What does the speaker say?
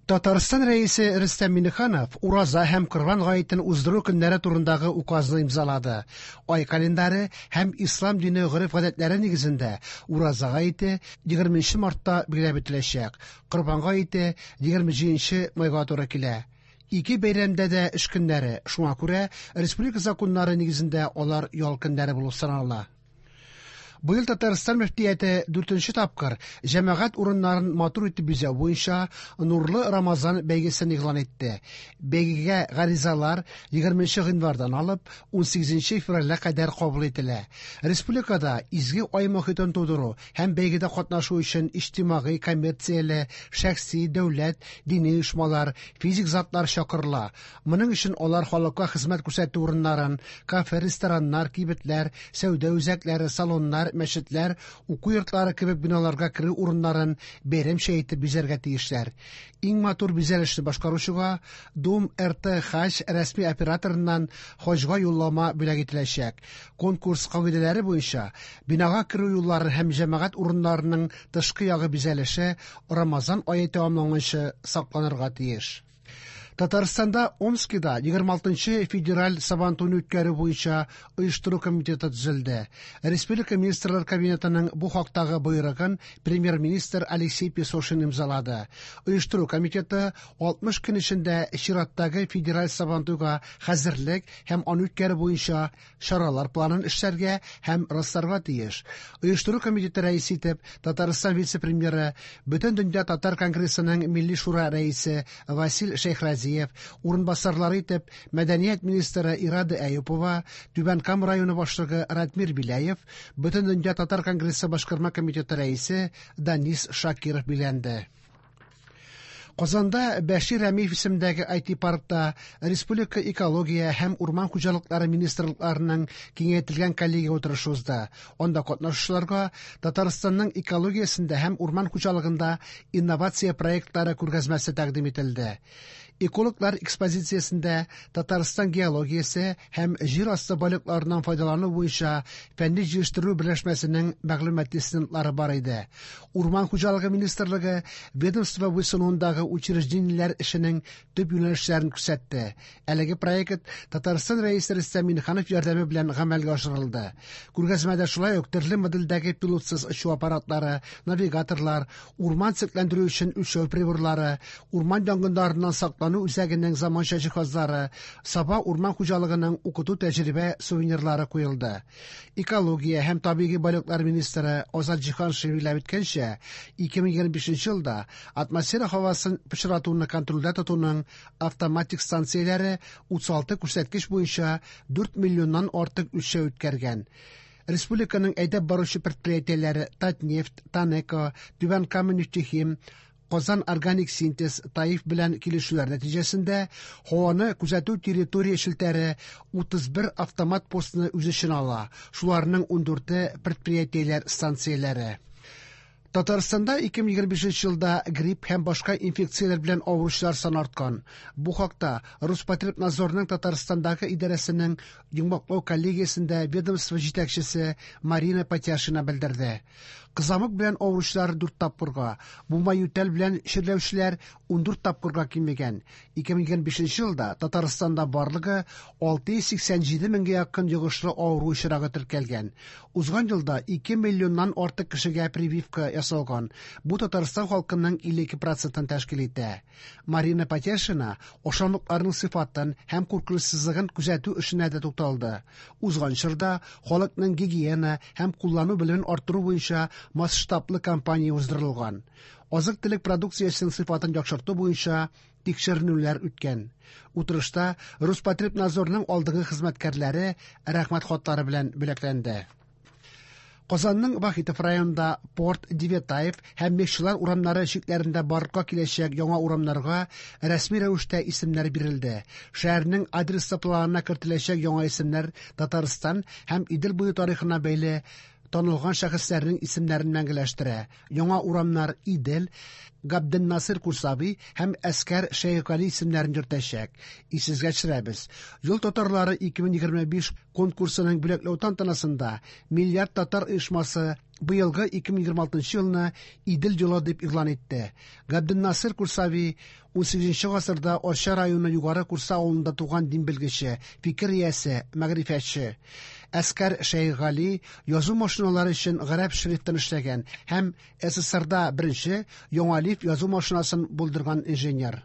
Татарстан Рәисе Рөстәм Миңнеханов Ураза һәм Корбан гаетен уздыру көннәре турындагы указны имзалады. Ай календаре һәм ислам дине гореф-гадәтләре нигезендә Ураза гаете 20 мартта билгеләп үтеләчәк. Корбан гаете 27 майга туры килә. Ике бәйрәмдә дә эш көннәре, шуңа күрә республика законнары нигезендә алар ял көннәре булып санала. Быел Татарстан мөфтияте дүртенче тапкыр җәмәгать урыннарын матур итеп бизәү буенча Нурлы Рамазан бәйгесен игълан итте. Бәйгегә гаризалар 20 гыйнвардан алып 18 февральгә кадәр кабул ителә. Республикада изге ай мохитен тудыру һәм бәйгедә катнашу өчен иҗтимагый, коммерцияле, шәхси, дәүләт, дини оешмалар, физик затлар чакырыла. Моның өчен алар халыкка хезмәт күрсәтү урыннарын, кафе, рестораннар, кибетләр, сәүдә үзәкләре, салоннар, мәчетләр, уку йортлары кебек биналарга керү урыннарын бәйрәмчә итеп бизәргә тиешләр. Иң матур бизәлешне башкаручыга Дум РТ Хаҗ рәсми операторыннан хаҗга юллама бүләк ителәчәк. Конкурс кагыйдәләре буенча, бинага керү юллары һәм җәмәгать урыннарының тышкы ягы бизәлеше Рамазан ае тәмамланганчы сакланырга тиеш. Татарстанда Омскида 26 нчы федераль Сабантуйны үткәрү буенча оештыру комитеты төзелде. Республика Министрлар Кабинетының бу хактагы боерыгын Премьер-министр Алексей Песошин имзалады. Оештыру комитеты 60 көн эчендә чираттагы федераль Сабантуйга хәзерлек һәм аны үткәрү буенча чаралар планын эшләргә һәм расларга тиеш. Оештыру комитеты рәисе итеп Татарстан вице-премьеры, Бөтендөнья татар конгрессының Милли шура рәисе Васил Шәйхразиев, урынбасарлары итеп мәдәният министры Ирада Әюпова, Түбән Кама районы башлыгы Радмир Беляев, Бөтендөнья татар конгрессы башкарма комитеты рәисе Данис Шакиров билгеләнде. Казанда Бәшир Рәмиев исемендәге IT-паркта республика экология һәм урман хуҗалыклары министрлыкларының киңәйтелгән коллегия утырышы узды. Анда катнашучыларга Татарстанның экологиясендә һәм урман хуҗалыгында инновация проектлары күргәзмәсе тәкъдим ителде. Экологлар экспозициясендә Татарстан геологиясе һәм җир асты байлыкларыннан файдалану буенча фәнни-җыештыру берләшмәсенең мәгълүмати стендлары бар иде. Урман хуҗалыгы министрлыгы ведомство буйсынуындагы учреждениеләр эшенең төп юнәлешләрен күрсәтте. Әлеге проект Татарстан Рәисе Рөстәм Миңнеханов ярдәме белән гамәлгә ашырылды. Күргәзмәдә шулай ук төрле модельдәге пилотсыз очу аппаратлары, навигаторлар, урман төзекләндерү өчен үлчәү приборлары, урман янгыннарыннан саклану үзәгенең заманча җиһазлары, Саба урман хуҗалыгының укыту-тәҗрибә сувенирлары куелды. Экология һәм табигый байлыклар министры Азат Җиһаншин билгеләп үткәнчә, 2025 елда атмосфера һавасын пычратуны контрольдә тотуның автоматик станцияләре 36 күрсәткеч буенча 4 миллионнан артык үлчәү үткәргән. Республиканың әйдәп баручы предприятиеләре Татнефть, ТАНЕКО, Түбән Кама нефтехим, Казан органик синтез, ТАИФ белән килешүләр нәтиҗәсендә һаваны күзәтү территория челтәре 31 автомат постны үз эченә ала, шуларның ундүрте предприятиеләр станцияләре. Татарстанда 2025 елда грипп һәм башка инфекцияләр белән авыручылар саны арткан. Бу хакта Роспотребнадзорның Татарстандагы идарәсенең йомгаклау коллегиясендә ведомство җитәкчесе Марина Патяшина белдерде. Кызамык белән авыручылар дүрт тапкырга, бума ютәл белән чирләүчеләр 14 тапкырга кимегән. 2025 елда Татарстанда барлыгы 687 меңгә якын йогышлы авыру очрагы теркәлгән. Узган елда 2 миллионнан артык кешегә прививка ясалган, бу Татарстан халкының 52 процентын тәшкил итә. Марина Патяшина ашамлыкларның сыйфатын һәм куркынычсызлыгын күзәтү эшенә дә тукталды. Узган чорда халыкның гигиена һәм куллану белемен арттыру буенча масштаблы кампания уздырылган. Азык-төлек продукциясенең сыйфатын яхшырту буенча тикшеренүләр үткән. Утырышта Роспотребнадзорның алдынгы хезмәткәрләре Рәхмәт хатлары белән бүләкләнде. Казанның Вахитов районында Порт, Девятаев һәм Мехчылар урамнары чикләрендә барлыкка киләчәк яңа урамнарга рәсми рәвештә исемнәр бирелде. Шәһәрнең адреслы планына кертеләчәк яңа исемнәр Татарстан һәм Идел буе тарихына бәйле танылган шәхесләрнең исемнәрен мәңгеләштерә. Яңа урамнар Идел, Габденнасыр Курсави һәм Әскәр Шәехгали исемнәрен йөртәчәк. Исегезгә төшерәбез, Юл татарлары 2025 конкурсының бүләкләү тантанасында Миллиард татар оешмасы Быелгы 2026 елны Идел елы дип игълан итте. Габденнасыр Курсави 18 гасырда Арча районы Югары Курса авылында туган дин белгече, фикер иясе, мәгърифәтче. Әскәр Шәйхгали язу машиналары өчен гарәп шрифтын эшләгән һәм СССРда беренче яңалиф язу машинасын булдырган инженер.